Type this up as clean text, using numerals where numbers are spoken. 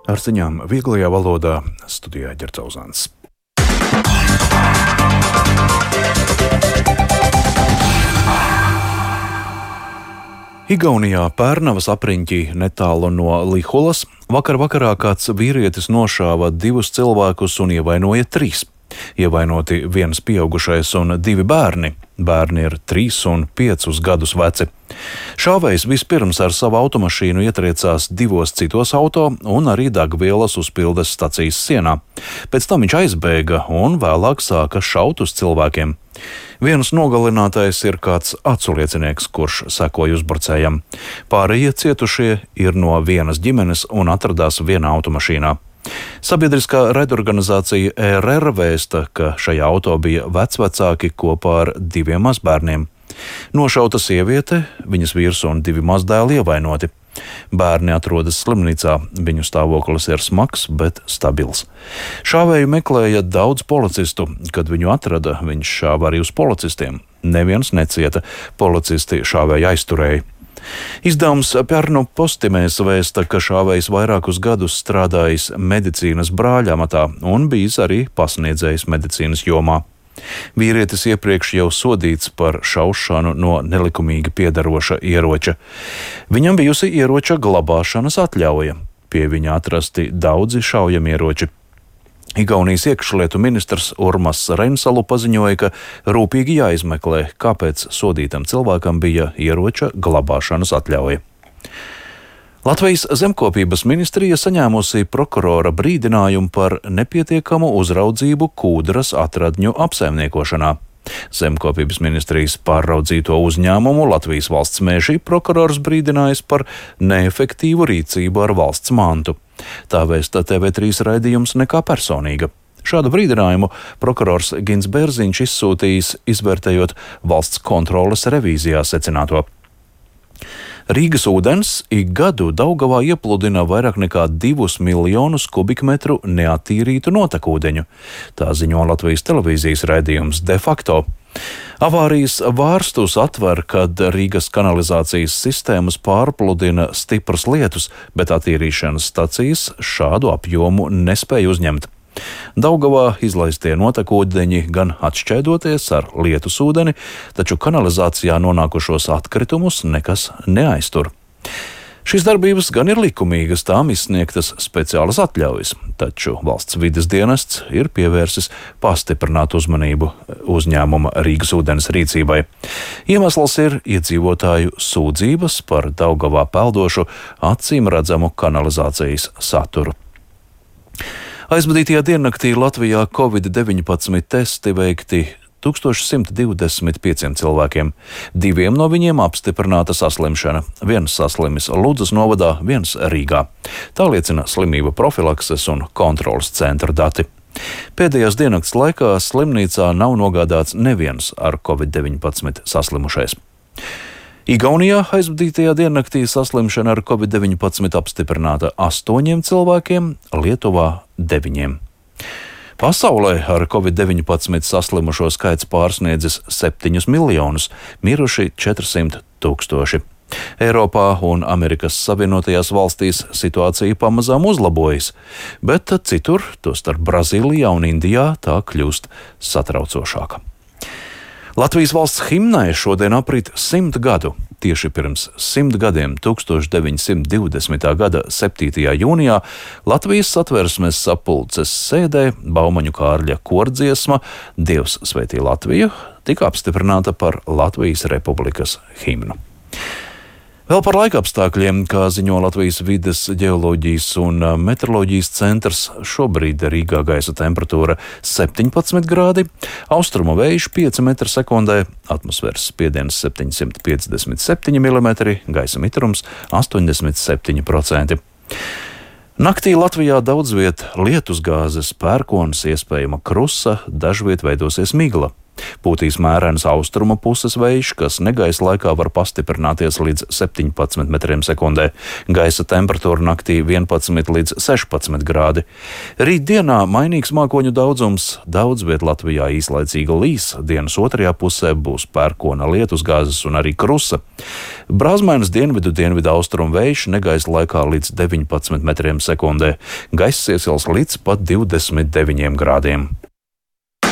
Ar ziņām vieglajā valodā studijā Ģercauzāns. Igaunijā Pērnavas apriņķī netālu no Lihulas vakarā kāds vīrietis nošāva 2 cilvēkus un ievainoja 3. Ievainoti viens pieaugušais un 2 bērni. Bērni ir 3 un 5 gadus veci. Šāvējs vispirms ar savu automašīnu ietriecās 2 citos auto un arī degvielas uzpildes stacijas sienā. Pēc tam viņš aizbēga un vēlāk sāka šaut uz cilvēkiem. Viens nogalinātais ir kāds aculiecinieks, kurš sekoja uzbrucējam. Pārējie cietušie ir no vienas ģimenes un atradās vienā automašīnā. Sabiedriskā raidorganizācija ERR vēsta, ka šajā auto bija vecvecāki kopā ar 2 mazbērniem. Nošauta sieviete, viņas vīrs un 2 mazdēli ievainoti. Bērni atrodas slimnīcā, viņu stāvoklis ir smags, bet stabils. Šāvēju meklēja daudz policistu. Kad viņu atrada, viņš šāva arī uz policistiem. Neviens necieta, policisti šāvēju aizturēja. Izdevums Pērnu Postimēs vēsta, ka šāvējs vairākus gadus strādājis medicīnas brāļa amatā un bijis arī pasniedzējs medicīnas jomā. Vīrietis iepriekš jau sodīts par šaušanu no nelikumīgi piederoša ieroča. Viņam bijusi ieroča glabāšanas atļauja. Pie viņa atrasti daudzi šaujamieroči. Igaunijas iekšlietu ministrs Urmas Reinsalu paziņoja, ka rūpīgi jāizmeklē, kāpēc sodītam cilvēkam bija ieroča glabāšanas atļauja. Latvijas zemkopības ministrija saņēmusi prokurora brīdinājumu par nepietiekamu uzraudzību kūdras atradņu apsaimniekošanā. Zemkopības ministrijas pārraudzīto uzņēmumu Latvijas valsts meži prokurors brīdinājis par neefektīvu rīcību ar valsts mantu. Tā vēsta TV3 raidījums Nekā personīga. Šādu brīdinājumu prokurors Gins Bērziņš izsūtījis, izvērtējot valsts kontroles revīzijā secināto. Rīgas ūdens ik gadu Daugavā iepludina vairāk nekā 2 miljonus kubikmetru neattīrītu notekūdeņu. Tā ziņo Latvijas televīzijas raidījums De facto. Avārijas vārstus atver, kad Rīgas kanalizācijas sistēmas pārpludina stipras lietus, bet attīrīšanas stacijas šādu apjomu nespēja uzņemt. Daugavā izlaistie notekūdeņi gan atšķēdoties ar lietus ūdeni, taču kanalizācijā nonākušos atkritumus nekas neaiztur. Šīs darbības gan ir likumīgas, tām izsniegtas speciālas atļaujas, taču valsts vides dienests ir pievērsis pastiprinātu uzmanību uzņēmuma Rīgas ūdens rīcībai. Iemesls ir iedzīvotāju sūdzības par Daugavā peldošu acīm redzamu kanalizācijas saturu. Aizvadītajā diennaktī Latvijā Covid-19 testi veikti 1125 cilvēkiem. 2 no viņiem apstiprināta saslimšana. Viens saslimis Ludzas novadā, viens Rīgā. Tā liecina slimību profilakses un kontroles centra dati. Pēdējās diennakts laikā slimnīcā nav nogādāts neviens ar Covid-19 saslimušais. Igaunijā aizvadītajā diennaktī saslimšana ar Covid-19 apstiprināta 8 cilvēkiem, Lietuvā 9. Pasaulē ar Covid-19 saslimušo skaits pārsniedzis 7 miljonus, miruši 400 000. Eiropā un Amerikas Savienotajās valstīs situācija pamazām uzlabojas, bet citur, tostarp Brazīlijā un Indijā, tā kļūst satraucošāka. Latvijas valsts himnai šodien aprit 100 gadu. Tieši pirms 100 gadiem, 1920. gada 7. jūnijā, Latvijas Satversmes sapulces sēdē Baumaņu Kārļa kordziesma Dievs svētī Latviju tika apstiprināta par Latvijas Republikas himnu. Vēl par laikapstākļiem, kā ziņo Latvijas vides, ģeoloģijas un meteoroloģijas centrs, šobrīd Rīgā gaisa temperatūra 17 grādi, austrumu vējš 5 m/sekundē, atmosfēras spiediens 757 mm, gaisa mitrums 87%. Naktī Latvijā daudz viet lietusgāzes, pērkons, iespējama krusa, dažviet veidosies migla. Pūtīs mērens austrumu puses vējš, kas negaisa laikā var pastiprināties līdz 17 metriem sekundē. Gaisa temperatūra naktī 11 līdz 16 grādi. Rīt dienā mainīgs mākoņu daudzums, daudz viet Latvijā īslaicīga līs, dienas otrajā pusē būs pērkona lietusgāzes un arī krusa. Brāzmainas dienvidu austrumu vējš, negaisa laikā līdz 19 metriem sekundē. Gaiss iesils līdz pat 29 grādiem.